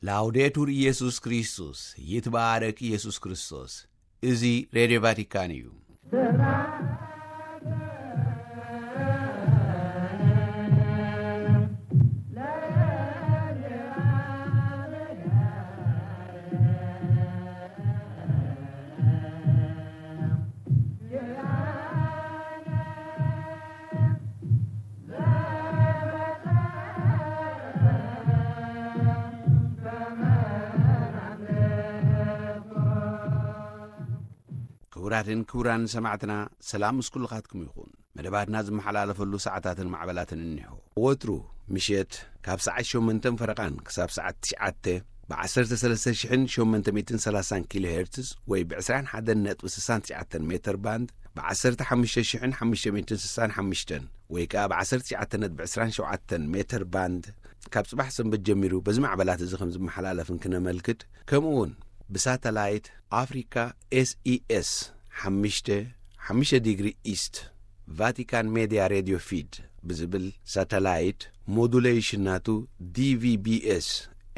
ላውዴቱር ኢየሱስ ክርስቶስ፣ ይትባረክ ኢየሱስ ክርስቶስ። እዚ ሬድዮ ቫቲካን እዩ። ክቡራትን ክቡራን ሰማዕትና፣ ሰላም ምስ ኩልኻትኩም ይኹን። መደባትና ዝመሓላለፈሉ ሰዓታትን ማዕበላትን እኒሆ። ወትሩ ምሸት ካብ ሰዓት ሸሞንተን ፈረቓን ክሳብ ሰዓት ትሽዓተ ብ ዓሰርተ ሰለስተ ሽሕን ሸሞንተ ሚእትን ሰላሳን ኪሎ ሄርትዝ ወይ ብ ዕስራን ሓደን ነጥቢ ስሳን ትሽዓተን ሜተር ባንድ፣ ብ ዓሰርተ ሓሙሽተ ሽሕን ሓሙሽተ ሚእትን ስሳን ሓሙሽተን ወይ ከኣ ብ ዓሰርተ ትሽዓተ ነጥቢ ዕስራን ሸውዓተን ሜተር ባንድ፣ ካብ ጽባሕ ሰንበት ጀሚሩ በዚ ማዕበላት እዚ ከም ዝመሓላለፍን ክነመልክት፣ ከምኡ እውን ብሳተላይት ኣፍሪካ ኤስኢኤስ ሓሙሽተ፣ ሓሙሽተ ዲግሪ ኢስት፣ ቫቲካን ሜድያ ሬድዮ ፊድ ብዝብል ሳተላይት፣ ሞዱሌሽን ናቱ ዲቪቢኤስ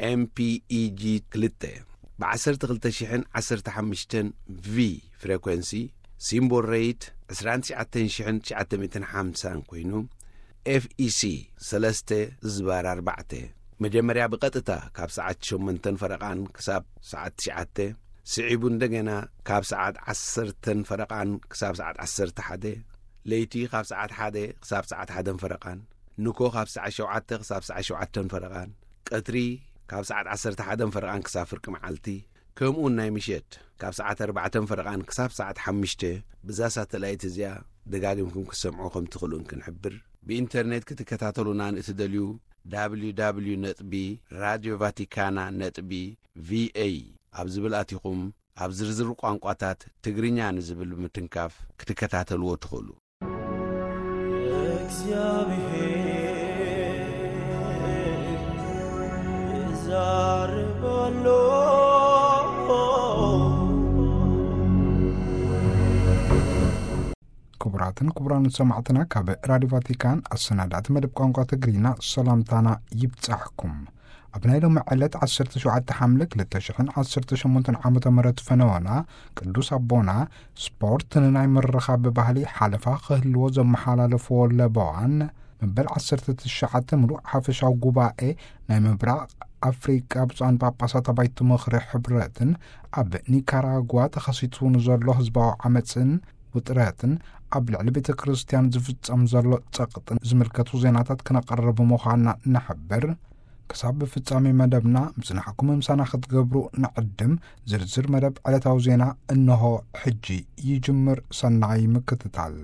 ኤምፒኢጂ ክልተ፣ ብ ዓሰርተ ክልተ ሽሕን ዓሰርተ ሓሙሽተን ቪ ፍሬኮንሲ፣ ሲምቦል ሬይት ዕስራን ትሽዓተን ሽሕን ትሽዓተ ሚእትን ሓምሳን ኮይኑ፣ ኤፍኢሲ ሰለስተ ዝባር ኣርባዕተ፣ መጀመርያ ብቐጥታ ካብ ሰዓት ሸሞንተን ፈረቓን ክሳብ ሰዓት ትሽዓተ፣ ስዒቡ እንደገና ካብ ሰዓት ዓሰርተን ፈረቓን ክሳብ ሰዓት ዓሰርተ ሓደ፣ ለይቲ ካብ ሰዓት ሓደ ክሳብ ሰዓት ሓደን ፈረቓን፣ ንኮ ካብ ሰዓት ሸውዓተ ክሳብ ሰዓት ሸውዓተን ፈረቓን፣ ቀትሪ ካብ ሰዓት ዓሰርተ ሓደን ፈረቓን ክሳብ ፍርቂ መዓልቲ፣ ከምኡውን ናይ ምሸት ካብ ሰዓት ኣርባዕተን ፈረቓን ክሳብ ሰዓት ሓሙሽተ፣ ብዛ ሳተላይት እዚኣ ደጋጊምኩም ክትሰምዑ ከም ትኽእሉን ክንሕብር። ብኢንተርኔት ክትከታተሉና ንእትደልዩ፣ www ነጥቢ ራድዮ ቫቲካና ነጥቢ ቪኤ ኣብ ዝብል ኣቲኹም፣ ኣብ ዝርዝር ቋንቋታት ትግርኛ ንዝብል ብምትንካፍ ክትከታተልዎ ትኽእሉ። እግዚኣብሔር ይዛረብ ኣሎ። ክቡራትን ክቡራን ሰማዕትና፣ ካብ ራዲዮ ቫቲካን ኣሰናዳእቲ መደብ ቋንቋ ትግርኛ ሰላምታና ይብጻሕኩም። ኣብ ናይ ሎሚ ዕለት ዓሰርተ ሸውዓተ ሓምለ ክልተ ሽሕን ዓሰርተ ሸሞንተን ዓመተ ምህረት ፈነወና፣ ቅዱስ ኣቦና ስፖርት ንናይ ምርኻብ ባህሊ ሓለፋ ክህልዎ ዘመሓላለፍዎ ለበዋን፣ መበል ዓሰርተ ትሽዓተ ምሉእ ሓፈሻዊ ጉባኤ ናይ ምብራቕ ኣፍሪቃ ብፁዓን ጳጳሳት ኣባይቲ ምኽሪ ሕብረትን ኣብ ኒካራጓ ተኸሲቱ ንዘሎ ህዝባዊ ዓመፅን ውጥረትን ኣብ ልዕሊ ቤተ ክርስቲያን ዝፍጸም ዘሎ ጸቕጥን ዝምልከቱ ዜናታት ክነቕርብ ምዃንና ንሕብር። ክሳብ ፍጻሜ መደብና ምጽናሕኩም ምሳና ክትገብሩ ንዕድም። ዝርዝር መደብ ዕለታዊ ዜና እንሆ ሕጂ ይጅምር። ሰናይ ምክትታል።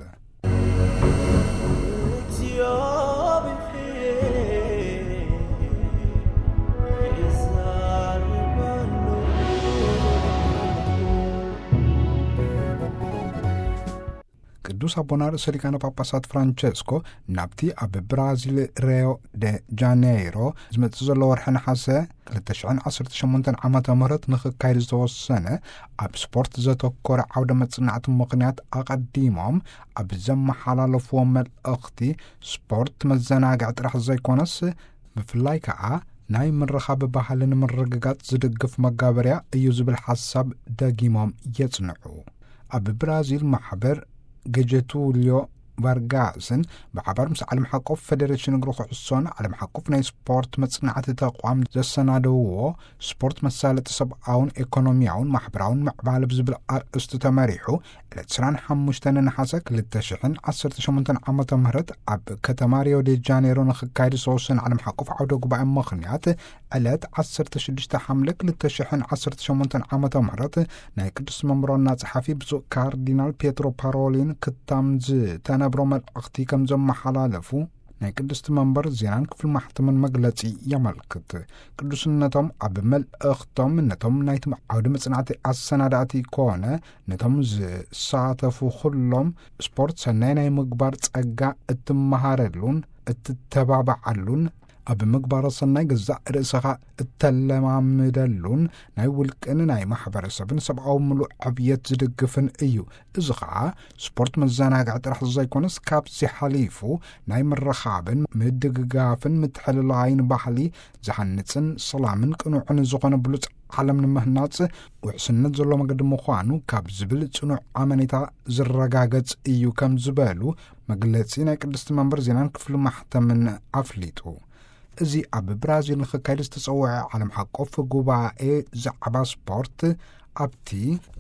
ቅዱስ ኣቦና ርእሰ ሊቃነ ጳጳሳት ፍራንቸስኮ ናብቲ ኣብ ብራዚል ሪዮ ደ ጃኔይሮ ዝመጽእ ዘሎ ወርሒ ነሓሰ ክልተ ሽሕን ዓሰርተ ሸሞንተን ዓመተ ምህረት ንኽካየድ ዝተወሰነ ኣብ ስፖርት ዘተኮረ ዓውደ መጽናዕቲ ምኽንያት ኣቐዲሞም ኣብ ዘመሓላለፍዎ መልእኽቲ፣ ስፖርት መዘናግዒ ጥራሕ ዘይኮነስ ብፍላይ ከኣ ናይ ምርኻብ ባህሊ ንምርግጋጽ ዝድግፍ መጋበርያ እዩ ዝብል ሓሳብ ደጊሞም የጽንዑ። ኣብ ብራዚል ማሕበር ገጀቱልዮ ቫርጋስን ብሓባር ምስ ዓለም ሓቆፍ ፌደሬሽን እግሪ ኩዕሶን ዓለም ሓቆፍ ናይ ስፖርት መጽናዕቲ ተቋም ዘሰናደውዎ ስፖርት መሳለጢ ሰብኣውን ኤኮኖሚያውን ማሕበራውን ምዕባለ ብዝብል ኣርእስቲ ተመሪሑ ዕለት ዕስራን ሓሙሽተን ነሓሰ ክልተ ሽሕን ዓሰርተ ሸሞንተን ዓመተ ምህረት ኣብ ከተማ ሪዮ ዴ ጃኔሮ ንኽካየድ ዝተወሰነ ዓለም ሓቆፍ ዓውደ ጉባኤ ምኽንያት ዕለት ዓሰርተ ሽዱሽተ ሓምለ ክልተ ሽሕን ዓሰርተ ሸሞንተን ዓመተ ምህረት ናይ ቅዱስ መንበር ዋና ጸሓፊ ብፁዕ ካርዲናል ፔትሮ ፓሮሊን ክታም ዝተነብሮ መልእኽቲ ከም ዘመሓላለፉ ናይ ቅድስቲ መንበር ዜናን ክፍሊ ማሕተምን መግለጺ የመልክት። ቅዱስነቶም ኣብ መልእኽቶም ነቶም ናይቲ ዓውደ መጽናዕቲ ኣሰናዳእቲ ኮነ ነቶም ዝሳተፉ ኩሎም ስፖርት ሰናይ ናይ ምግባር ጸጋ እትመሃረሉን እትተባባዓሉን ኣብ ምግባረ ሰናይ ገዛእ ርእስኻ እተለማምደሉን ናይ ውልቅን ናይ ማሕበረሰብን ሰብኣዊ ምሉእ ዕብየት ዝድግፍን እዩ። እዚ ኸዓ ስፖርት መዘናግዒ ጥራሕ ዘይኮነስ፣ ካብዚ ሓሊፉ ናይ ምርኻብን ምድግጋፍን ምትሕልላይን ባህሊ ዝሃንጽን ሰላምን ቅኑዕን ዝኾነ ብሉጽ ዓለም ንምህናጽ ውሕስነት ዘሎ መገዲ ምዃኑ ካብ ዝብል ጽኑዕ ኣመኔታ ዝረጋገጽ እዩ ከም ዝበሉ መግለጺ ናይ ቅድስቲ መንበር ዜናን ክፍሊ ማሕተምን ኣፍሊጡ። እዚ ኣብ ብራዚል ንኽካየድ ዝተጸውዐ ዓለም ሓቆፍ ጉባኤ ዛዕባ ስፖርት፣ ኣብቲ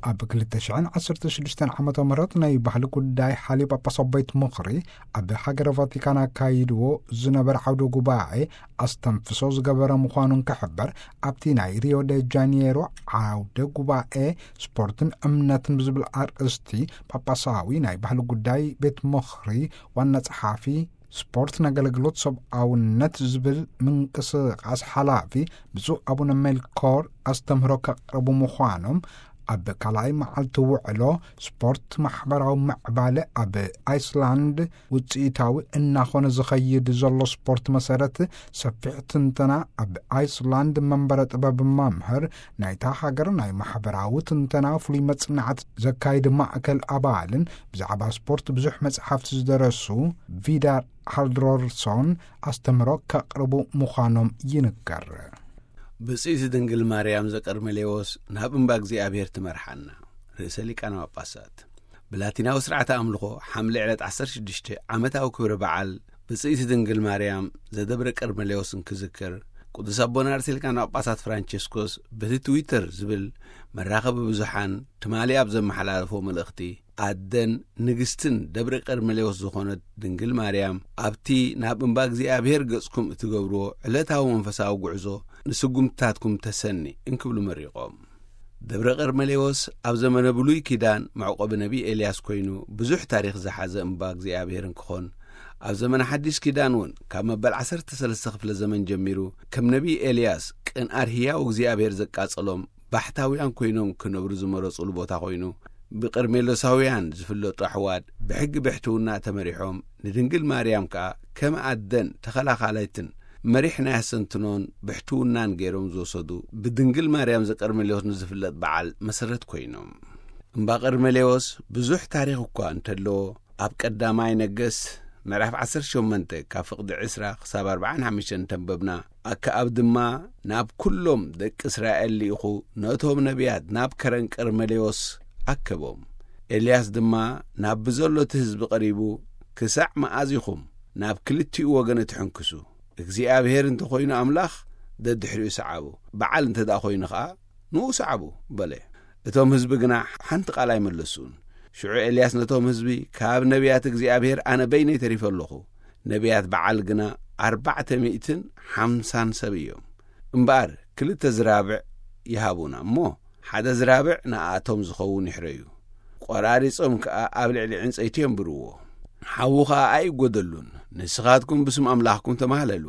ኣብ ክልተ ሽሕን ዓሰርተ ሽዱሽተን ዓመተ ምህረት ናይ ባህሊ ጉዳይ ሓልዮ ጳጳሳዊ ቤት ምኽሪ ኣብ ሃገረ ቫቲካን ኣካይድዎ ዝነበረ ዓውደ ጉባኤ ኣስተንፍሶ ዝገበረ ምዃኑ እንክሕበር፣ ኣብቲ ናይ ሪዮ ደ ጃኔሮ ዓውደ ጉባኤ ስፖርትን እምነትን ብዝብል ኣርእስቲ፣ ጳጳሳዊ ናይ ባህሊ ጉዳይ ቤት ምኽሪ ዋና ጸሓፊ ስፖርት፣ ንኣገልግሎት ሰብኣውነት ዝብል ምንቅስቃስ ሓላፊ ብፁዕ ኣቡነ ሜልኮር ኣስተምህሮ ከቕርቡ ምዃኖም፣ ኣብ ካልኣይ መዓልቲ ውዕሎ ስፖርት ማሕበራዊ ምዕባለ ኣብ ኣይስላንድ ውፅኢታዊ እናኾነ ዝኸይድ ዘሎ ስፖርት መሰረት ሰፊሕ ትንተና ኣብ ኣይስላንድ መንበረ ጥበብ መምህር ናይታ ሃገር ናይ ማሕበራዊ ትንተና ፍሉይ መጽናዕት ዘካይድ ማእከል ኣባልን ብዛዕባ ስፖርት ብዙሕ መጽሓፍቲ ዝደረሱ ቪዳር ሃልድሮርሶን ኣስተምህሮ ከቕርቡ ምዃኖም ይንገር። ብጽይቲ ድንግል ማርያም ዘቀርመሌዎስ ናብ እምባ እግዚኣብሔር ትመርሓና። ርእሰ ሊቃነ ጳጳሳት። ብላቲናዊ ስርዓተ ኣምልኾ ሓምለ ዕለት ዓሰርተ ሽዱሽተ ዓመታዊ ክብረ በዓል ብጽይቲ ድንግል ማርያም ዘደብረ ቀርመሌዎስ እንክዝክር፣ ቅዱስ ኣቦና ርእሰ ሊቃነ ጳጳሳት ፍራንቸስኮስ በቲ ትዊተር ዝብል መራኸቢ ብዙሓን ትማሊ ኣብ ዘመሓላለፎ መልእኽቲ፣ ኣደን ንግስትን ደብረ ቀርመሌዎስ ዝኾነት ድንግል ማርያም፣ ኣብቲ ናብ እምባ እግዚኣብሔር ገጽኩም እትገብርዎ ዕለታዊ መንፈሳዊ ጉዕዞ ንስጉምትታትኩም ተሰኒ እንክብሉ መሪቖም። ደብረ ቀርመሌዎስ ኣብ ዘመነ ብሉይ ኪዳን መዕቆቢ ነቢ ኤልያስ ኮይኑ ብዙሕ ታሪኽ ዝሓዘ እምባ እግዚኣብሔር እንክኾን፣ ኣብ ዘመነ ሓዲስ ኪዳን እውን ካብ መበል ዓሰርተ ሰለስተ ክፍለ ዘመን ጀሚሩ ከም ነቢ ኤልያስ ቅንኣር ህያው እግዚኣብሔር ዘቃጸሎም ባሕታውያን ኮይኖም ክነብሩ ዝመረጹሉ ቦታ ኮይኑ፣ ብቀርሜሎሳውያን ዝፍለጡ ኣሕዋት ብሕጊ ብሕትውና ተመሪሖም፣ ንድንግል ማርያም ከኣ ከም ኣደን ተኸላኻላይትን መሪሕ ናይ ኣሰንትኖን ብሕትውናን ገይሮም ዝወሰዱ፣ ብድንግል ማርያም ዘቀርሜሌዎስ ንዝፍለጥ በዓል መሰረት ኮይኖም። እምባ ቀርሜሌዎስ ብዙሕ ታሪኽ እኳ እንተለዎ፣ ኣብ ቀዳማይ ነገስት ምዕራፍ ዓሰርተ ሸሞንተ ካብ ፍቕዲ ዕስራ ክሳብ ኣርብዓን ሓሙሽተን እንተንበብና፣ ኣከኣብ ድማ ናብ ኩሎም ደቂ እስራኤል ልኢኹ ነቶም ነቢያት ናብ ከረን ቀርሜሌዎስ ኣከቦም። ኤልያስ ድማ ናብ ብዘሎ እቲ ህዝቢ ቀሪቡ፣ "ክሳዕ መኣዝ ኢኹም ናብ ክልቲኡ ወገን እትሕንክሱ? እግዚኣብሔር እንተኾይኑ ኣምላኽ፣ ደድሕሪኡ ሰዓቡ፣ በዓል እንተ ደኣ ኾይኑ ኸኣ፣ ንኡ ሰዓቡ" በለ። እቶም ህዝቢ ግና ሓንቲ ቃል ኣይመለሱን። ሽዑ ኤልያስ ነቶም ህዝቢ፣ "ካብ ነቢያት እግዚኣብሔር ኣነ በይነይ ተሪፈ ኣለኹ። ነቢያት በዓል ግና ኣርባዕተ ሚእትን ሓምሳን ሰብ እዮም። እምበኣር ክልተ ዝራብዕ ይሃቡና እሞ፣ ሓደ ዝራብዕ ንኣቶም ዝኸውን ይሕረዩ። ቆራሪጾም ከኣ ኣብ ልዕሊ ዕንጸይቲ የንብርዎ። ሓዊ ኸኣ ኣይጎደሉን። ንስኻትኩም ብስም ኣምላኽኩም ተማህለሉ፣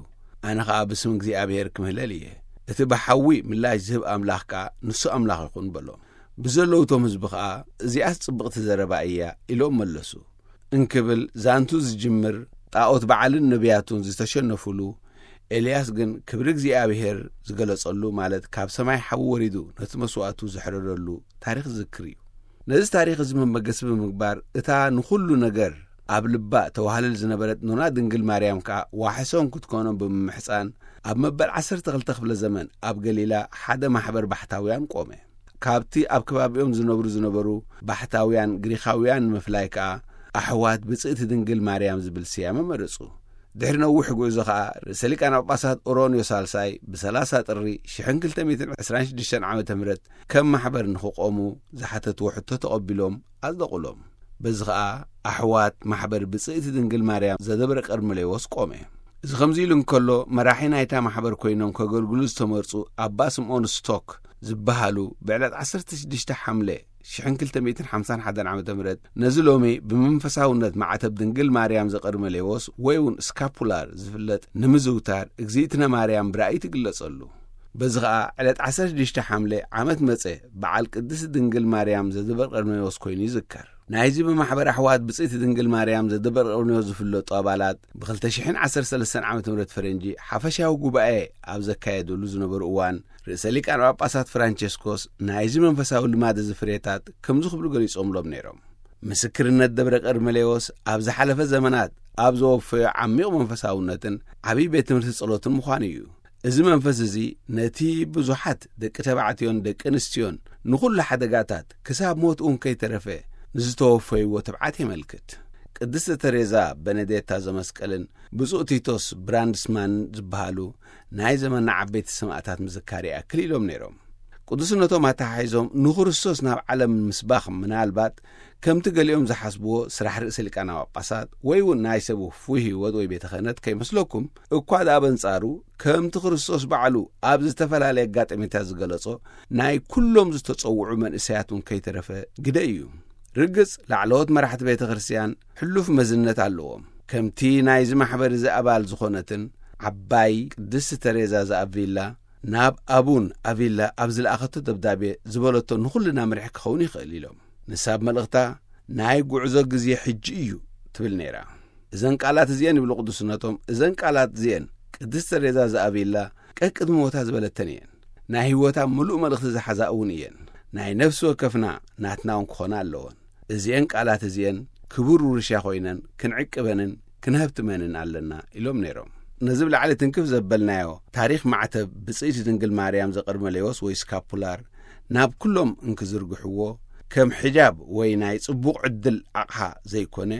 ኣነ ኸኣ ብስም እግዚኣብሔር ክምህለል እየ። እቲ ብሓዊ ምላሽ ዝህብ ኣምላኽ ከኣ ንሱ ኣምላኽ ይኹን" በሎም። ብዘለዉ እቶም ህዝቢ ኸኣ፣ "እዚኣስ ጽብቕቲ ዘረባ እያ" ኢሎም መለሱ። እንክብል ዛንቱ ዝጅምር፣ ጣኦት በዓልን ነቢያቱን ዝተሸነፉሉ፣ ኤልያስ ግን ክብሪ እግዚኣብሔር ዝገለጸሉ፣ ማለት ካብ ሰማይ ሓዊ ወሪዱ ነቲ መስዋእቱ ዘሕረደሉ ታሪኽ ዝዝክር እዩ። ነዚ ታሪኽ እዚ መበገሲ ብምግባር፣ እታ ንኹሉ ነገር ኣብ ልባ ተዋህልል ዝነበረት ኖና ድንግል ማርያም ከኣ ዋሕሶም ክትኮኖም ብምምሕጻን፣ ኣብ መበል ዓሰርተ ክልተ ክፍለ ዘመን ኣብ ገሊላ ሓደ ማሕበር ባሕታውያን ቆመ። ካብቲ ኣብ ከባቢኦም ዝነብሩ ዝነበሩ ባሕታውያን ግሪኻውያን ንምፍላይ ከኣ፣ ኣሕዋት ብጽእቲ ድንግል ማርያም ዝብል ስያመ መረጹ። ድሕሪ ነዊሕ ጉዕዞ ከኣ፣ ርእሰ ሊቃነ ጳጳሳት ኦሮንዮ ሳልሳይ ብሰላሳ ጥሪ ሽሕን ክልተ ሚእትን ዕስራን ሽዱሽተን ዓመተ ምህረት ከም ማሕበር ንኽቆሙ ዝሓተትዎ ሕቶ ተቐቢሎም ኣጽደቑሎም። በዚ ኸኣ ኣሕዋት ማሕበር ብጽእቲ ድንግል ማርያም ዘደብረ ቀርሜሌዎስ ቆመ። እዚ ከምዚ ኢሉ እንከሎ፣ መራሒ ናይታ ማሕበር ኮይኖም ከገልግሉ ዝተመርጹ ኣባ ስምዖን ስቶክ ዝበሃሉ፣ ብዕለት ዓሰርተ ሽዱሽተ ሓምለ ሽሕን ክልተ ሚእትን ሓምሳን ሓደን ዓመተ ምህረት ነዚ ሎሚ ብመንፈሳውነት ማዕተብ ድንግል ማርያም ዘቀርመሌዎስ ወይ እውን ስካፑላር ዝፍለጥ ንምዝውታር፣ እግዚእትነ ማርያም ብራእይ ትግለጸሉ። በዚ ኸኣ ዕለት ዓሰርተ ሽዱሽተ ሓምለ ዓመት መጸ በዓል ቅድስቲ ድንግል ማርያም ዘደብረ ቀርሜሌዎስ ኮይኑ ይዝከር። ናይዚ ብማሕበር ኣሕዋት ብጽይቲ ድንግል ማርያም ዘደበርቀርንዮ ዝፍለጡ ኣባላት ብ2013 ዓመተ ምህረት ፈረንጂ ሓፈሻዊ ጉባኤ ኣብ ዘካየዱሉ ዝነበሩ እዋን፣ ርእሰ ሊቃነ ጳጳሳት ፍራንቸስኮስ ናይዚ መንፈሳዊ ልማድ እዚ ፍሬታት ከምዚ ክብሉ ገሊጾምሎም ነይሮም። ምስክርነት ደብረ ቀርሜሌዎስ ኣብ ዝሓለፈ ዘመናት ኣብ ዘወፈዮ ዓሚቕ መንፈሳውነትን ዓብዪ ቤት ትምህርቲ ጸሎትን ምዃኑ እዩ። እዚ መንፈስ እዚ ነቲ ብዙሓት ደቂ ተባዕትዮን ደቂ ኣንስትዮን ንኹሉ ሓደጋታት ክሳብ ሞት እውን ከይተረፈ ንዝተወፈይዎ ትብዓት የመልክት። ቅድስቲ ተሬዛ በነዴታ ዘመስቀልን ብፁዕ ቲቶስ ብራንድስማን ዝበሃሉ ናይ ዘመንና ዓበይቲ ሰማእታት ምዝካር ይኣክል ኢሎም ነይሮም። ቅዱስነቶም ኣተሓሒዞም ንክርስቶስ ናብ ዓለም ምስባኽ ምናልባት ከምቲ ገሊኦም ዝሓስብዎ ስራሕ ርእሰ ሊቃነ ጳጳሳት ወይ እውን ናይ ሰብ ውፉይ ህይወት ወይ ቤተ ክህነት ከይመስለኩም፣ እኳ ደኣ በንጻሩ ከምቲ ክርስቶስ ባዕሉ ኣብ ዝተፈላለየ ኣጋጣሚታት ዝገለጾ ናይ ኩሎም ዝተጸውዑ መንእሰያት እውን ከይተረፈ ግደ እዩ። ርግጽ ላዕለዎት መራሕቲ ቤተ ክርስቲያን ሕሉፍ መዝነት ኣለዎም። ከምቲ ናይዚ ማሕበር እዚ ኣባል ዝኾነትን ዓባይ ቅድስቲ ተሬዛ ዘኣቪላ ናብ ኣቡን ኣቪላ ኣብ ዝለኣኸቶ ደብዳቤ ዝበለቶ ንኹልና ምርሒ ክኸውን ይኽእል ኢሎም። ንሳ ኣብ መልእኽታ ናይ ጉዕዞ ግዜ ሕጂ እዩ ትብል ነይራ። እዘን ቃላት እዚኤን ይብሉ ቅዱስነቶም፣ እዘን ቃላት እዚኤን ቅድስቲ ተሬዛ ዘኣቪላ ቀቅድሚ ሞታ ዝበለተን እየን። ናይ ህይወታ ምሉእ መልእኽቲ ዝሓዛ እውን እየን። ናይ ነፍሲ ወከፍና ናትና እውን ክኾና ኣለዎን። እዚኤን ቃላት እዚኤን ክቡር ውርሻ ኮይነን ክንዕቅበንን ክንሀብትመንን ኣለና ኢሎም ነይሮም። ነዚ ብላዕሊ ትንክፍ ዘበልናዮ ታሪኽ ማዕተብ ብጽይቲ ድንግል ማርያም ዘቀርመሌዎስ ወይ ስካፑላር ናብ ኩሎም እንክዝርግሕዎ ከም ሕጃብ ወይ ናይ ጽቡቕ ዕድል ኣቕሓ ዘይኮነ፣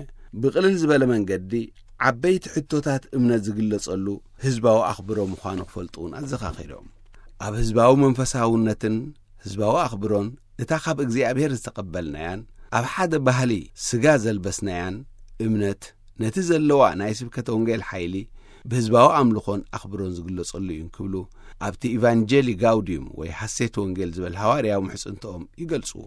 ብቕልል ዝበለ መንገዲ ዓበይቲ ሕቶታት እምነት ዝግለጸሉ ህዝባዊ ኣኽብሮ ምዃኑ ክፈልጡ እውን ኣዘኻኺሮም። ኣብ ህዝባዊ መንፈሳውነትን ህዝባዊ ኣኽብሮን እታ ካብ እግዚኣብሔር ዝተቐበልናያን ኣብ ሓደ ባህሊ ስጋ ዘልበስናያን እምነት ነቲ ዘለዋ ናይ ስብከተ ወንጌል ሓይሊ ብህዝባዊ ኣምልኾን ኣኽብሮን ዝግለጸሉ እዩ ክብሉ ኣብቲ ኢቫንጀሊ ጋውዲዩም ወይ ሓሴት ወንጌል ዝበል ሃዋርያዊ ምሕጽንትኦም ይገልጽዎ።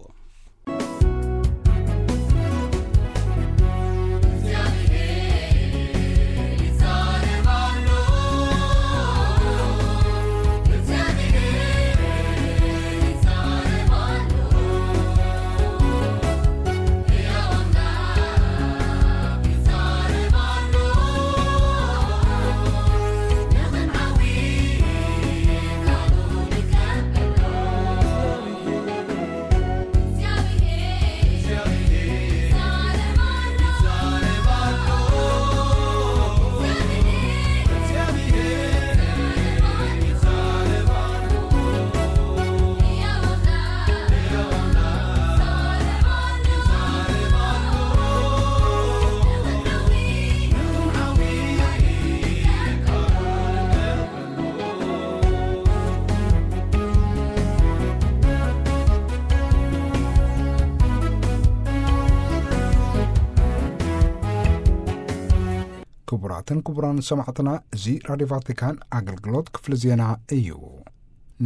ክቡራትን ክቡራን ሰማዕትና፣ እዚ ራድዮ ቫቲካን ኣገልግሎት ክፍሊ ዜና እዩ።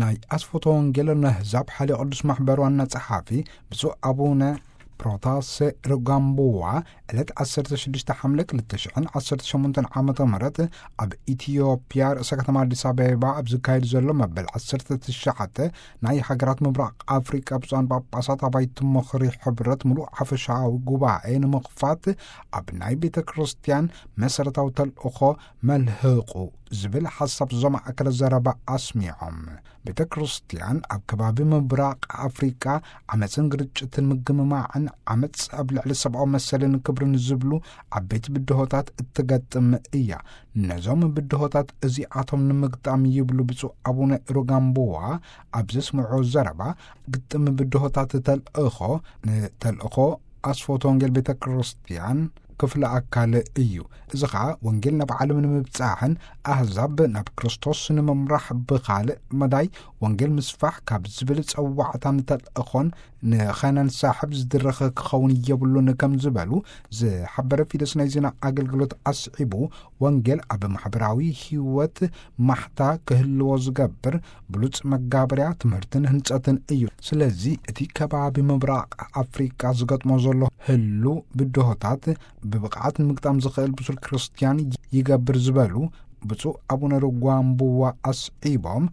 ናይ ኣስፎቶ ወንጌል ነህዛብ ሓልዮ ቅዱስ ማሕበር ዋና ጸሓፊ ብፁዕ ኣቡነ ፕሮታሴ ሩጋምቡዋ ዕለት 16 ሓምለ 2018 ዓመተ ምህረት ኣብ ኢትዮጵያ ርእሰ ከተማ ኣዲስ ኣበባ ኣብ ዝካየድ ዘሎ መበል 19 ናይ ሃገራት ምብራቕ ኣፍሪቃ ብፁዓን ጳጳሳት ኣባይቲ ምኽሪ ሕብረት ምሉእ ሓፈሻዊ ጉባኤ ንምኽፋት ኣብ ናይ ቤተ ክርስቲያን መሰረታዊ ተልእኾ መልህቑ ዝብል ሓሳብ ዘማእከለ ዘረባ ኣስሚዖም። ቤተ ክርስቲያን ኣብ ከባቢ ምብራቕ ኣፍሪቃ ዓመፅን ግርጭትን ምግምማዕን ዓመፅ ኣብ ልዕሊ ሰብኣዊ መሰልን ክብርን ዝብሉ ዓበይቲ ብድሆታት እትገጥም እያ። ነዞም ብድሆታት እዚኣቶም ንምግጣም ይብሉ ብፁዕ ኣቡነ ሩጋምቡዋ ኣብ ዘስምዑ ዘረባ ግጥም ብድሆታት ተልእኾ ንተልእኾ ኣስፎት ወንጌል ቤተ ክርስቲያን ክፍለ ኣካል እዩ። እዚ ኸዓ ወንጌል ናብ ዓለም ንምብጻሕን ኣህዛብ ናብ ክርስቶስ ንምምራሕ ብኻልእ መዳይ ወንጌል ምስፋሕ ካብ ዝብል ጸዋዕታን ተልእኾን ንኸነንሳሕብ ዝድረኽ ክኸውን የብሉን ከም ዝበሉ ዝሓበረ ፊደስ ናይ ዜና ኣገልግሎት ኣስዒቡ፣ ወንጌል ኣብ ማሕበራዊ ህይወት ማሕታ ክህልዎ ዝገብር ብሉጽ መጋበርያ ትምህርትን ህንጸትን እዩ። ስለዚ እቲ ከባቢ ምብራቕ ኣፍሪቃ ዝገጥሞ ዘሎ ህሉ ብድሆታት ብብቕዓት ንምግጣም ዝኽእል ብሱል ክርስትያን ይገብር ዝበሉ ብፁዕ ኣቡነ ሩጓምቡዋ ኣስዒቦም፣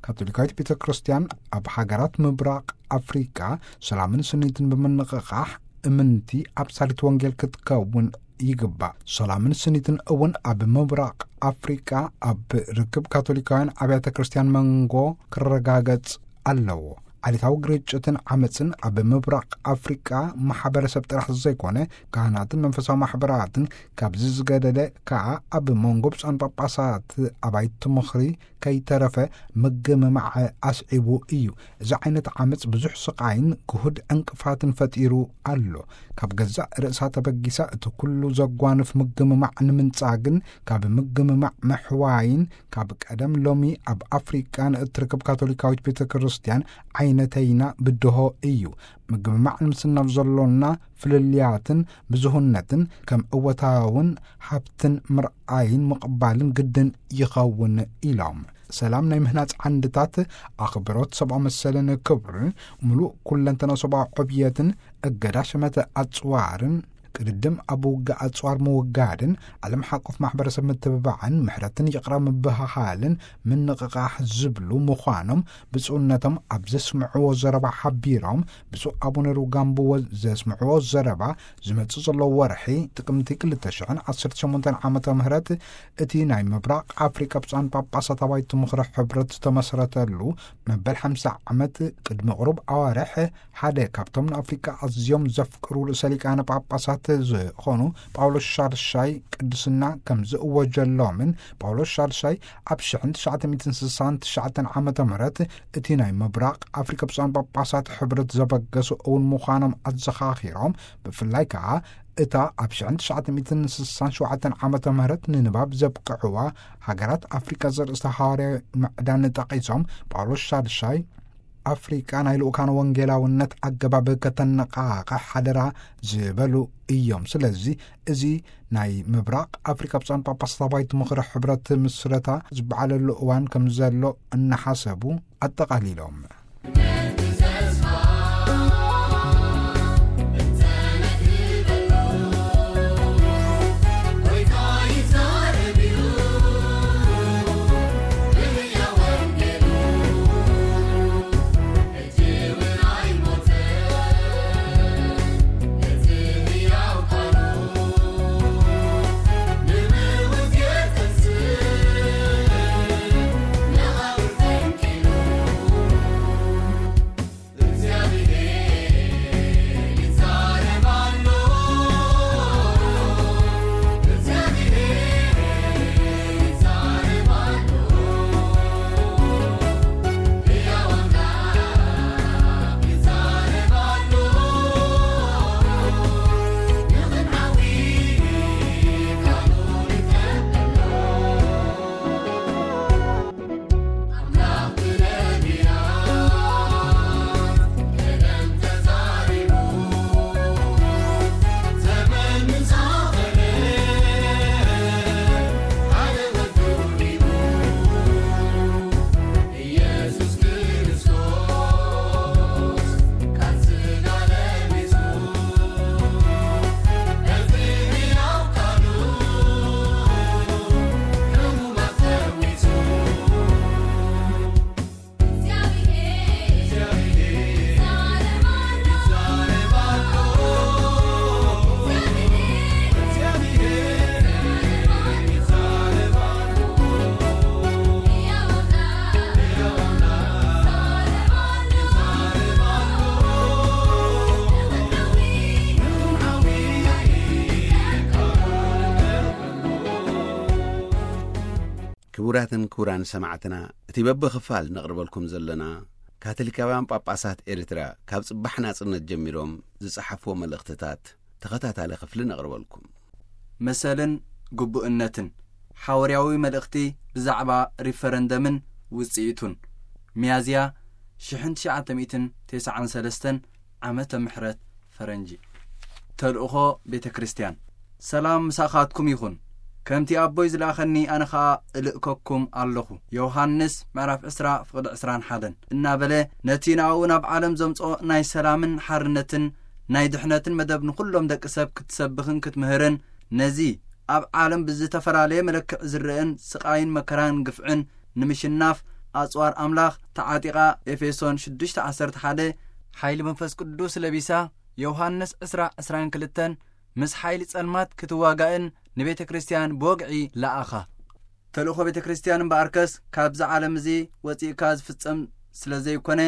ካቶሊካዊት ቤተ ክርስቲያን ኣብ ሃገራት ምብራቕ ኣፍሪቃ ሰላምን ስኒትን ብምንቕቓሕ እምንቲ ኣብሳሊት ወንጌል ክትከውን ይግባእ። ሰላምን ስኒትን እውን ኣብ ምብራቕ ኣፍሪቃ ኣብ ርክብ ካቶሊካውያን ኣብያተ ክርስቲያን መንጎ ክረጋገጽ ኣለዎ። ዓሌታዊ ግርጭትን ዓመፅን ኣብ ምብራቕ ኣፍሪቃ ማሕበረሰብ ጥራሕ ዘይኮነ፣ ካህናትን መንፈሳዊ ማሕበራትን ካብዚ ዝገደደ ከኣ ኣብ መንጎ ብፁዓን ጳጳሳት ኣባይቲ ምኽሪ ከይተረፈ ምግምማዕ ኣስዒቡ እዩ። እዚ ዓይነት ዓመፅ ብዙሕ ስቓይን ግሁድ ዕንቅፋትን ፈጢሩ ኣሎ። ካብ ገዛእ ርእሳ ተበጊሳ እቲ ኩሉ ዘጓንፍ ምግምማዕ ንምንጻግን ካብ ምግምማዕ ምሕዋይን፣ ካብ ቀደም ሎሚ ኣብ ኣፍሪቃ ንእትርከብ ካቶሊካዊት ቤተ ክርስቲያን ዓይነተይና ብድሆ እዩ። ምግምማዕ ንምስናፍ ዘሎና ፍልልያትን ብዙህነትን ከም እወታውን ሃብትን ምርኣይን ምቕባልን ግድን ይኸውን ኢሎም። ሰላም ናይ ምህናጽ ዓንድታት፣ ኣኽብሮት ሰብኣዊ መሰልን ክብሪ፣ ምሉእ ኩለንተና ሰብኣዊ ዕብየትን፣ እገዳ ሸመተ ኣጽዋርን፣ ቅድድም ኣብ ውግእ ኣጽዋር ምውጋድን፣ ዓለም ሓቆፍ ማሕበረሰብ ምትብባዕን፣ ምሕረትን ይቕረ ምብህሃልን ምንቕቓሕ ዝብሉ ምዃኖም ብፁዕነቶም ኣብ ዘስምዕዎ ዘረባ ሓቢሮም። ብፁዕ ኣቡነ ሩጋምብዎ ዘስምዕዎ ዘረባ፣ ዝመጽእ ዘሎ ወርሒ ጥቅምቲ ክልተ ሽሕን ዓሰርተ ሸሞንተን ዓመተ ምህረት እቲ ናይ ምብራቕ ኣፍሪቃ ብፁዓን ጳጳሳት ኣባይቲ ምኽሪ ሕብረት ዝተመስረተሉ መበል ሓምሳ ዓመት ቅድሚ ቁሩብ ኣዋርሕ፣ ሓደ ካብቶም ንኣፍሪቃ ኣዝዮም ዘፍቅሩ ርእሰ ሊቃነ ጳጳሳት ዝኾኑ ጳውሎስ ሻድሻይ ቅድስና ከም ዝእወጀሎምን፣ ጳውሎስ ሻድሻይ ኣብ ሽሕን ትሽዓተ ሚእትን ስሳን ትሽዓተን ዓመተ ምህረት እቲ ናይ ምብራቕ ኣፍሪቃ ብፁዓን ጳጳሳት ሕብረት ዘበገሱ እውን ምዃኖም ኣዘኻኺሮም፣ ብፍላይ ከኣ እታ ኣብ ሽሕን ትሽዓተ ሚእትን ስሳን ሸውዓተን ዓመተ ምህረት ንንባብ ዘብቅዕዋ ሃገራት ኣፍሪቃ ዘርእስታ ሃዋርያዊ ምዕዳን ጠቒሶም፣ ጳውሎስ ሻድሻይ ኣፍሪቃ ናይ ልኡካን ወንጌላውነት ኣገባብ ከተነቓቕሕ ሓደራ ዝበሉ እዮም። ስለዚ እዚ ናይ ምብራቕ ኣፍሪቃ ብፁዓን ጳጳሳት ኣባይቲ ምኽሪ ሕብረት ምስረታ ዝበዓለሉ እዋን ከም ዘሎ እናሓሰቡ ኣጠቓሊሎም። ክቡራትን ክቡራን ሰማዕትና፣ እቲ በብኽፋል ነቕርበልኩም ዘለና፣ ካቶሊካውያን ጳጳሳት ኤርትራ ካብ ጽባሕ ናጽነት ጀሚሮም ዝጸሓፍዎ መልእኽትታት ተኸታታሊ ክፍሊ ነቕርበልኩም። መሰልን ግቡእነትን፣ ሓዋርያዊ መልእኽቲ ብዛዕባ ሪፈረንደምን ውጽኢቱን፣ ሚያዝያ ሽሕን ትሽዓተ ሚእትን ተስዓን ሰለስተን ዓመተ ምሕረት ፈረንጂ። ተልእኾ ቤተ ክርስቲያን። ሰላም ምሳኻትኩም ይኹን። ከምቲ ኣቦይ ዝለኣኸኒ ኣነ ኸኣ እልእከኩም ኣለኹ። ዮሃንስ ምዕራፍ ዕስራ ፍቕዲ ዕስራን ሓደን እናበለ፣ ነቲ ንኣኡ ናብ ዓለም ዘምጽኦ ናይ ሰላምን ሓርነትን ናይ ድሕነትን መደብ ንኹሎም ደቂ ሰብ ክትሰብኽን ክትምህርን፣ ነዚ ኣብ ዓለም ብዝተፈላለየ መለክዕ ዝረአን ስቓይን መከራን ግፍዕን ንምሽናፍ ኣጽዋር ኣምላኽ ተዓጢቓ፣ ኤፌሶን ሽዱሽተ ዓሰርተ ሓደ፣ ሓይሊ መንፈስ ቅዱስ ለቢሳ፣ ዮሃንስ ዕስራ ዕስራን ክልተን ምስ ሓይሊ ጸልማት ክትዋጋእን ንቤተ ክርስቲያን ብወግዒ ለኣኻ። ተልእኾ ቤተ ክርስቲያን እምበኣርከስ ካብዚ ዓለም እዚ ወጺእካ ዝፍጸም ስለ ዘይኮነ፣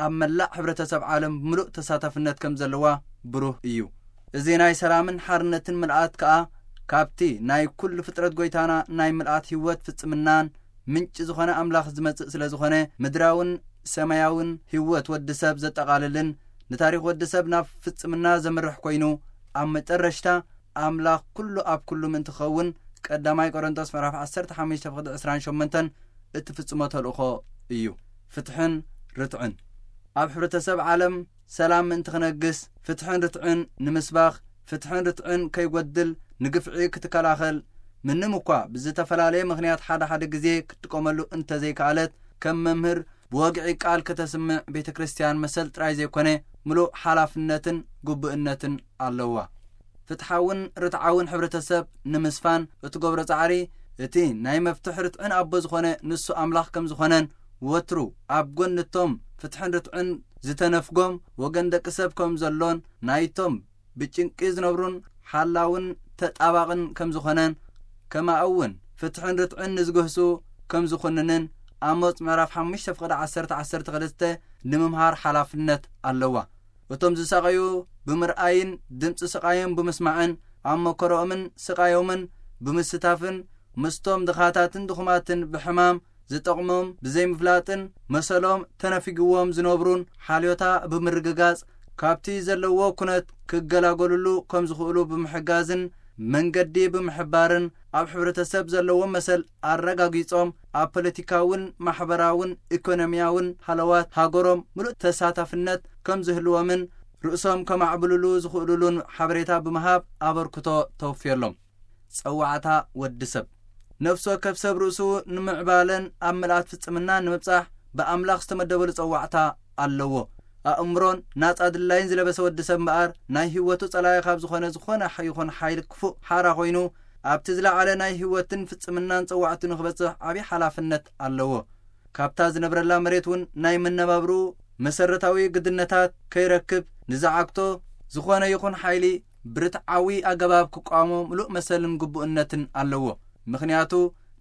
ኣብ መላእ ሕብረተሰብ ዓለም ምሉእ ተሳታፍነት ከም ዘለዋ ብሩህ እዩ። እዚ ናይ ሰላምን ሓርነትን ምልኣት ከኣ ካብቲ ናይ ኩሉ ፍጥረት ጎይታና ናይ ምልኣት ህይወት ፍጽምናን ምንጪ ዝኾነ ኣምላኽ ዝመጽእ ስለ ዝኾነ፣ ምድራውን ሰማያውን ህይወት ወዲ ሰብ ዘጠቓልልን ንታሪኽ ወዲ ሰብ ናብ ፍጽምና ዘምርሕ ኮይኑ፣ ኣብ መጨረሽታ ኣምላኽ ኩሉ ኣብ ኩሉ ምእንቲ ክኸውን፣ ቀዳማይ ቆሮንቶስ ምዕራፍ ዓሰርተ ሓሙሽተ ፍቕዲ ዕስራን ሸሞንተን እትፍጽሞ ተልእኾ እዩ። ፍትሕን ርትዕን። ኣብ ሕብረተሰብ ዓለም ሰላም ምእንቲ ክነግስ፣ ፍትሕን ርትዕን ንምስባኽ፣ ፍትሕን ርትዕን ከይጎድል ንግፍዒ ክትከላኸል፣ ምንም እኳ ብዝተፈላለየ ምኽንያት ሓደ ሓደ ግዜ ክትጥቀመሉ እንተዘይከኣለት፣ ከም መምህር ብወግዒ ቃል ከተስምዕ ቤተ ክርስቲያን መሰል ጥራይ ዘይኮነ፣ ምሉእ ሓላፍነትን ግቡእነትን ኣለዋ። ፍትሓውን ርትዓውን ሕብረተሰብ ንምስፋን እትገብሮ ጻዕሪ፣ እቲ ናይ መፍትሕ ርትዕን ኣቦ ዝኾነ ንሱ ኣምላኽ ከም ዝኾነን፣ ወትሩ ኣብ ጎኒ እቶም ፍትሕን ርትዕን ዝተነፍጎም ወገን ደቂ ሰብ ከም ዘሎን፣ ናይቶም ብጭንቂ ዝነብሩን ሓላውን ተጣባቕን ከም ዝኾነን፣ ከማኡ እውን ፍትሕን ርትዕን ንዝግህሱ ከም ዝኹንንን፣ ኣሞጽ ምዕራፍ ሓሙሽተ ፍቕዲ ዓሰርተ ዓሰርተ ክልተ ንምምሃር ሓላፍነት ኣለዋ። እቶም ዝሳቐዩ ብምርኣይን ድምጺ ስቓዮም ብምስማዕን፣ ኣብ መከረኦምን ስቓዮምን ብምስታፍን፣ ምስቶም ድኻታትን ድኹማትን ብሕማም ዝጠቕሞም ብዘይምፍላጥን፣ መሰሎም ተነፊግዎም ዝነብሩን ሓልዮታ ብምርግጋጽ፣ ካብቲ ዘለዎ ኩነት ክገላገሉሉ ከም ዝኽእሉ ብምሕጋዝን መንገዲ ብምሕባርን፣ ኣብ ሕብረተሰብ ዘለዎም መሰል ኣረጋጊጾም፣ ኣብ ፖለቲካውን ማሕበራውን ኢኮኖሚያውን ሃለዋት ሃገሮም ምሉእ ተሳታፍነት ከም ዝህልዎምን ርእሶም ከማዕብልሉ ዝኽእሉሉን ሓበሬታ ብምሃብ ኣበርክቶ ተወፍየሎም። ጸዋዕታ ወዲ ሰብ። ነፍሲ ወከፍ ሰብ ርእሱ ንምዕባለን ኣብ ምልኣት ፍጽምናን ንምብጻሕ ብኣምላኽ ዝተመደበሉ ጸዋዕታ ኣለዎ። ኣእምሮን ናጻ ድላይን ዝለበሰ ወዲ ሰብ እምበኣር፣ ናይ ህይወቱ ጸላኢ ካብ ዝኾነ፣ ዝኾነ ይኹን ሓይሊ ክፉእ ሓራ ኮይኑ፣ ኣብቲ ዝለዓለ ናይ ህይወትን ፍጽምናን ጸዋዕቱ ንኽበጽሕ ዓቢ ሓላፍነት ኣለዎ። ካብታ ዝነብረላ መሬት እውን ናይ መነባብርኡ መሰረታዊ ግድነታት ከይረክብ፣ ንዝዓግቶ ዝኾነ ይኹን ሓይሊ ብርትዓዊ ኣገባብ ክቃወሞ ምሉእ መሰልን ግቡእነትን ኣለዎ። ምኽንያቱ፣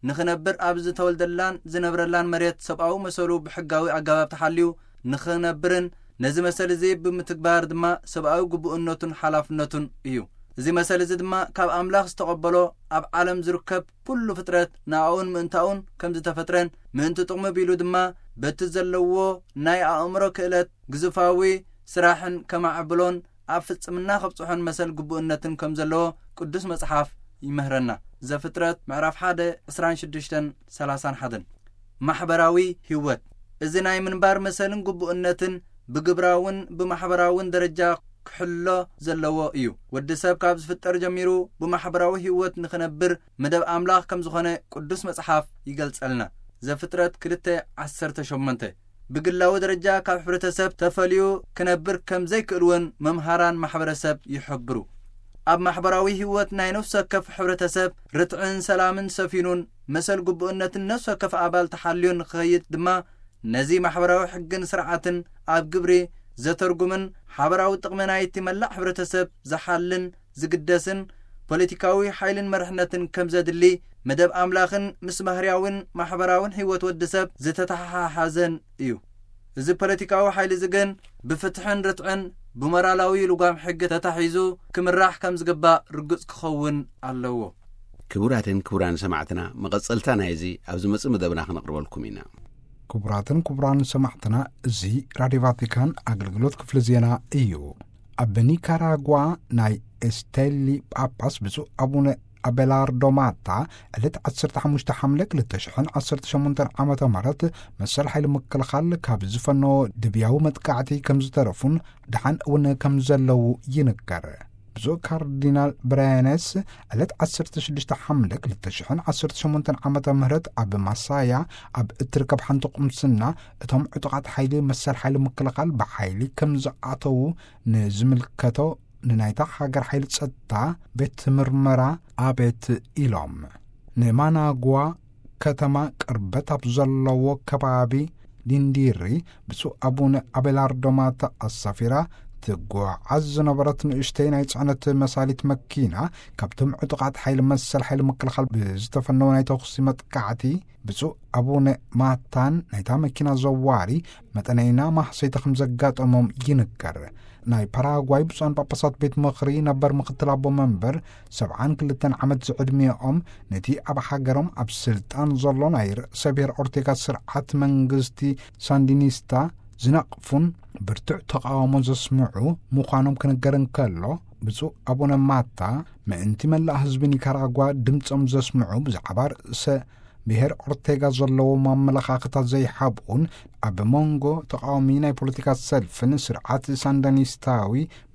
ንኽነብር ኣብ ዝተወልደላን ዝነብረላን መሬት ሰብኣዊ መሰሉ ብሕጋዊ ኣገባብ ተሓልዩ ንኽነብርን ነዚ መሰል እዚ ብምትግባር ድማ ሰብኣዊ ግቡእነቱን ሓላፍነቱን እዩ። እዚ መሰል እዚ ድማ ካብ ኣምላኽ ዝተቐበሎ፣ ኣብ ዓለም ዝርከብ ኩሉ ፍጥረት ንኣኡን ምእንታኡን ከም ዝተፈጥረን፣ ምእንቲ ጥቕሚ ቢሉ ድማ በቲ ዘለዎ ናይ ኣእምሮ ክእለት ግዙፋዊ ስራሕን ከማዕብሎን ኣብ ፍጽምና ከብጽሖን መሰል ግቡእነትን ከም ዘለዎ ቅዱስ መጽሓፍ ይምህረና። ዘፍጥረት ምዕራፍ ሓደ ዕስራን ሽዱሽተን ሰላሳን ሓደን። ማሕበራዊ ህይወት። እዚ ናይ ምንባር መሰልን ግቡእነትን ብግብራውን ብማሕበራውን ደረጃ ክሕሎ ዘለዎ እዩ። ወዲ ሰብ ካብ ዝፍጠር ጀሚሩ ብማሕበራዊ ህይወት ንኽነብር መደብ ኣምላኽ ከም ዝኾነ ቅዱስ መጽሓፍ ይገልጸልና። ዘፍጥረት ክልተ ዓሰርተ ሸሞንተ። ብግላዊ ደረጃ ካብ ሕብረተሰብ ተፈልዩ ክነብር ከም ዘይክእል እውን መምሃራን ማሕበረሰብ ይሕብሩ። ኣብ ማሕበራዊ ህይወት ናይ ነፍሲ ወከፍ ሕብረተሰብ ርትዕን ሰላምን ሰፊኑን መሰል ግቡእነትን ነፍሲ ወከፍ ኣባል ተሓልዮን ንክኸይድ ድማ ነዚ ማሕበራዊ ሕግን ስርዓትን ኣብ ግብሪ ዘተርጉምን ሓበራዊ ጥቕሚ ናይቲ መላእ ሕብረተሰብ ዝሓልን ዝግደስን ፖለቲካዊ ሓይልን መርሕነትን ከም ዘድሊ መደብ ኣምላኽን ምስ ባህርያውን ማሕበራውን ህይወት ወዲ ሰብ ዝተተሓሓዘን እዩ። እዚ ፖለቲካዊ ሓይሊ እዚ ግን ብፍትሕን ርትዕን ብሞራላዊ ልጓም ሕጊ ተታሒዙ ክምራሕ ከም ዝግባእ ርጉጽ ክኸውን ኣለዎ። ክቡራትን ክቡራን ሰማዕትና፣ መቐጸልታ ናይዚ ኣብ ዝመጽእ መደብና ክነቕርበልኩም ኢና። ክቡራትን ክቡራን ሰማዕትና፣ እዚ ራድዮ ቫቲካን ኣገልግሎት ክፍሊ ዜና እዩ። ኣብ ኒካራጓ ናይ ኤስቴሊ ጳጳስ ብፁዕ ኣቡነ ኣቤላርዶ ማታ ዕለት ዓሰርተ ሓሙሽተ ሓምለ ክልተ ሽሕን ዓሰርተ ሸሞንተን ዓመተ ምህረት መሰል ሓይሊ ምክልኻል ካብ ዝፈነዎ ድብያዊ መጥቃዕቲ ከም ዝተረፉን ደሓን እውን ከም ዘለዉ ይንገር። ብፁዕ ካርዲናል ብራያነስ ዕለት ዓሰርተ ሽዱሽተ ሓምለ ክልተ ሽሕን ዓሰርተ ሸሞንተን ዓመተ ምህረት ኣብ ማሳያ ኣብ እትርከብ ሓንቲ ቁምስና እቶም ዕጡቓት ሓይሊ መሰል ሓይሊ ምክልኻል ብሓይሊ ከም ዝኣተዉ ንዝምልከቶ ንናይታ ሃገር ሓይሊ ጸጥታ ቤት ምርመራ ኣቤት ኢሎም። ንማናጓ ከተማ ቅርበት ኣብ ዘለዎ ከባቢ ዲንዲሪ ብፁዕ ኣቡነ ኣቤላርዶ ማታ ኣሳፊራ ትጓዓዝ ዝነበረት ንእሽተይ ናይ ጽዕነት መሳሊት መኪና፣ ካብቶም ዕጡቓት ሓይሊ መሰል ሓይሊ ምክልኻል ብዝተፈነወ ናይ ተኹሲ መጥቃዕቲ፣ ብፁዕ ኣቡነ ማታን ናይታ መኪና ዘዋሪ መጠነይና ማህሰይቲ ከም ዘጋጠሞም ይንገር። ናይ ፓራጓይ ብፁዓን ጳጳሳት ቤት ምኽሪ ነበር ምኽትል ኣቦ መንበር ሰብዓን ክልተን ዓመት ዝዕድሚኦም፣ ነቲ ኣብ ሃገሮም ኣብ ስልጣን ዘሎ ናይ ርእሰ ብሔር ኦርቴጋ ስርዓት መንግስቲ ሳንዲኒስታ ዝነቕፉን ብርቱዕ ተቓውሞ ዘስምዑ ምዃኖም ክንገር እንከሎ፣ ብፁዕ ኣቡነ ማታ ምእንቲ መላእ ህዝቢ ኒካራጓ ድምጾም ዘስምዑ፣ ብዛዕባ ርእሰ ብሔር ኦርቴጋ ዘለዎም ኣመለኻኽታ ዘይሓብኡን፣ ኣብ መንጎ ተቓዋሚ ናይ ፖለቲካ ሰልፍን ስርዓት ሳንዳኒስታዊ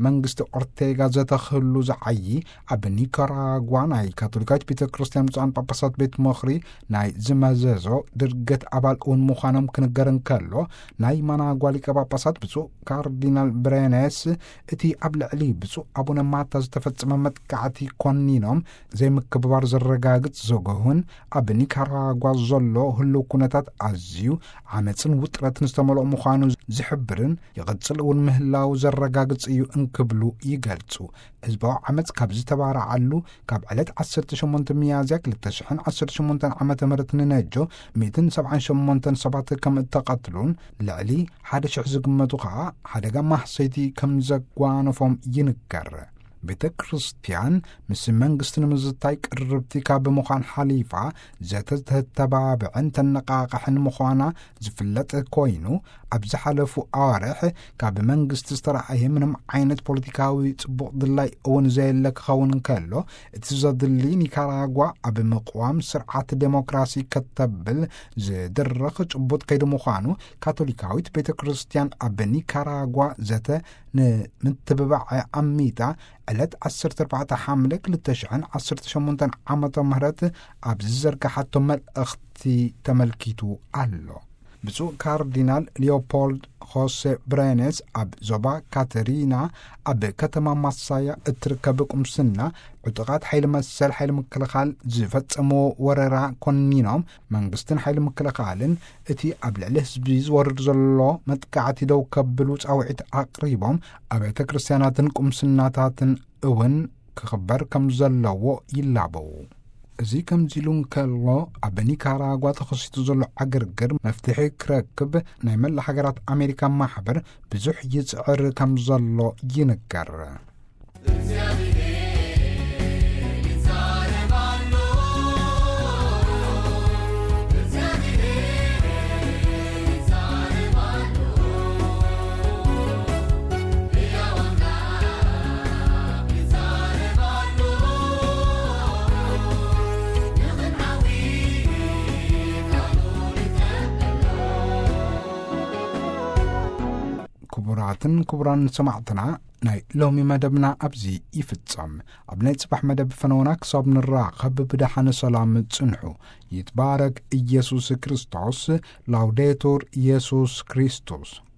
መንግስቲ ኦርቴጋ ዘተኽህሉ ዝዓዪ፣ ኣብ ኒካራጓ ናይ ካቶሊካዊት ቤተ ክርስቲያን ብፁዓን ጳጳሳት ቤት ምኽሪ ናይ ዝመዘዞ ድርገት ኣባል እውን ምዃኖም ክንገር እንከሎ፣ ናይ ማናጓ ሊቀ ጳጳሳት ብፁዕ ካርዲናል ብሬነስ፣ እቲ ኣብ ልዕሊ ብፁዕ ኣቡነ ማታ ዝተፈጸመ መጥቃዕቲ ኮኒኖም፣ ዘይምክብባር ዘረጋግጽ ዘገሁን ኣብ ኒካራጓ ዘሎ ህልው ኩነታት ኣዝዩ ዓመጽን ውጥረትን ዝተመልኦ ምዃኑ ዝሕብርን ይቕጽል እውን ምህላው ዘረጋግጽ እዩ እንክብሉ ይገልጹ። ህዝባዊ ዓመጽ ካብ ዝተባረዓሉ ካብ ዕለት ዓሰርተ ሸሞንተ ሚያዝያ ክልተ ሽሕን ዓሰርተ ሸሞንተን ዓመተ ምህረት ንነጆ ሚእትን ሰብዓን ሸሞንተን ሰባት ከም እተቐትሉን ልዕሊ ሓደ ሽሕ ዝግመቱ ኸኣ ሓደጋ ማህሰይቲ ከም ዘጓነፎም ይንገር። ቤተ ክርስቲያን ምስ መንግስቲ ንምዝታይ ቅርብቲ ካብ ምዃን ሓሊፋ ዘተ ተተባብዕን ተነቓቕሕን ምዃና ዝፍለጥ ኮይኑ፣ ኣብ ዝሓለፉ ኣዋርሕ ካብ መንግስቲ ዝተረኣየ ምንም ዓይነት ፖለቲካዊ ጽቡቕ ድላይ እውን ዘየለ ክኸውን እንከሎ፣ እቲ ዘድሊ ኒካራጓ ኣብ ምቕዋም ስርዓት ዴሞክራሲ ከተብል ዝድርኽ ጭቡጥ ከይዲ ምዃኑ ካቶሊካዊት ቤተ ክርስቲያን ኣብ ኒካራጓ ዘተ ንምትብባዕ ኣሚታ ዕለት ዓሰርተ ኣርባዕተ ሓምለ ክልተ ሽሕን ዓሰርተ ሸሞንተን ዓመተ ምህረት ኣብ ዝዘርግሓቶ መልእኽቲ ተመልኪቱ ኣሎ። ብፁዕ ካርዲናል ሊዮፖልድ ሆሴ ብሬኔስ ኣብ ዞባ ካተሪና ኣብ ከተማ ማሳያ እትርከብ ቁምስና ዕጡቓት ሓይሊ መሰል ሓይሊ ምክልኻል ዝፈጸምዎ ወረራ ኮኒኖም፣ መንግስትን ሓይሊ ምክልኻልን እቲ ኣብ ልዕሊ ህዝቢ ዝወርድ ዘሎ መጥቃዕቲ ደው ከብሉ ጻውዒት ኣቕሪቦም፣ ኣብያተ ክርስቲያናትን ቁምስናታትን እውን ክኽበር ከም ዘለዎ ይላበው። እዚ ከምዚ ኢሉ እንከሎ፣ ኣብ ኒካራጓ ተኸሲቱ ዘሎ ዕግርግር መፍትሒ ክረክብ ናይ መላ ሃገራት ኣሜሪካ ማሕበር ብዙሕ ይጽዕር ከም ዘሎ ይንገር። እግዚኣብሔር ይዛረብ ኣሎ፣ እግዚኣብሔር ይዛረብ ኣሎ፣ ሕያው ኣምላኽ ይዛረብ ኣሎ፣ ንኽንዓዊ ቃሉ ይጸበሎ። ክቡራትን ክቡራን ሰማዕትና፣ ናይ ሎሚ መደብና ኣብዚ ይፍጸም። ኣብ ናይ ጽባሕ መደብ ፈነውና ክሳብ ንራኸብ ብደሓነ ሰላም ጽንሑ። ይትባረክ ኢየሱስ ክርስቶስ። ላውዴቱር ኢየሱስ ክርስቶስ።